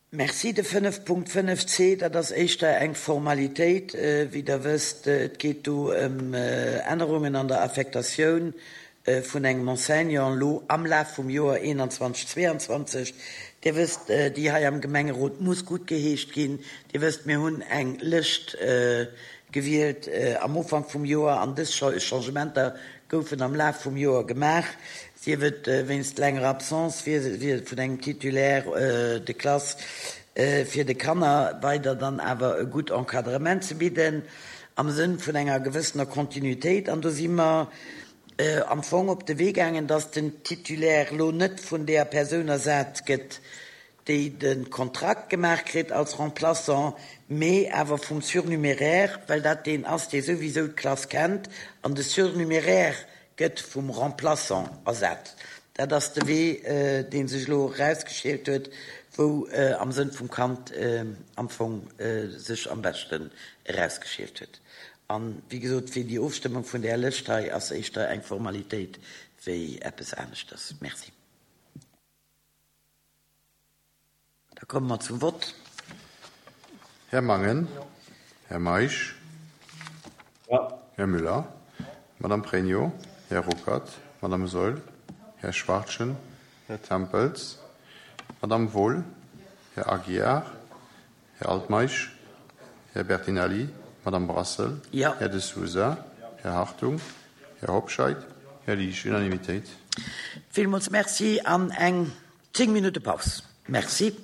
Merci. De 5.5 c, dat ass éischter eng Formalitéit. Wéi Der wësst, et geet do ëm Ännerungen an der Affektatioun vun engem Enseignant elo am Laf vum Joer 21, 22. Dir wësst, déi hei am Gemengerot muss guttgeheescht ginn. Dir wësst, mir hunn eng Lëscht gewielt am Ufank vum Joer an dës Changementer goufen am Laf vum Joer gemaach. Sief et wéinst längerer Absence vun engem Titulaire de classe, fir de Kanner weider dann awer e gutt Encadrement ze bidden, am Sënn vun enger gewëssener Kontinuitéit. An do si mer am Fong op de Wee gaangen, dass den Titulaire elo net vun deeër Persoun ersat gëtt, déi de Kontrakt gemaach kritt als Remplaçant, mee awer vum Surnuméraire, well dat deen ass, dee souwisou d'Klass kennt, an de Surnuméraire gëtt vum Remplaçant ersat. Dat ass de Wee, dee sech elo erausgeschielt huet, wou am Sënn vum Kand am Fong sech am beschten erausgeschielt huet. An, wéi gesot, fir déi Ofstëmmung vun där Lëscht hei ass éischter eng Formalitéit wéi eppes aneschters. Merci. Da komme mer zum Vott. Här Mangen. Här Meisch. Här Müller. Madame Pregno. Här Ruckert. Madame Saeul. Här Schwachtgen. Här Tempels. Madame Wohl. Här Aguiar. Här Altmeisch. Här Bertinelli. Madame Brassel. Här De Sousa. Här Hartung. Här Hobscheit. Här Liesch. Unanimitéit. Villmools Merci an eng 10 Minutte Paus. Merci.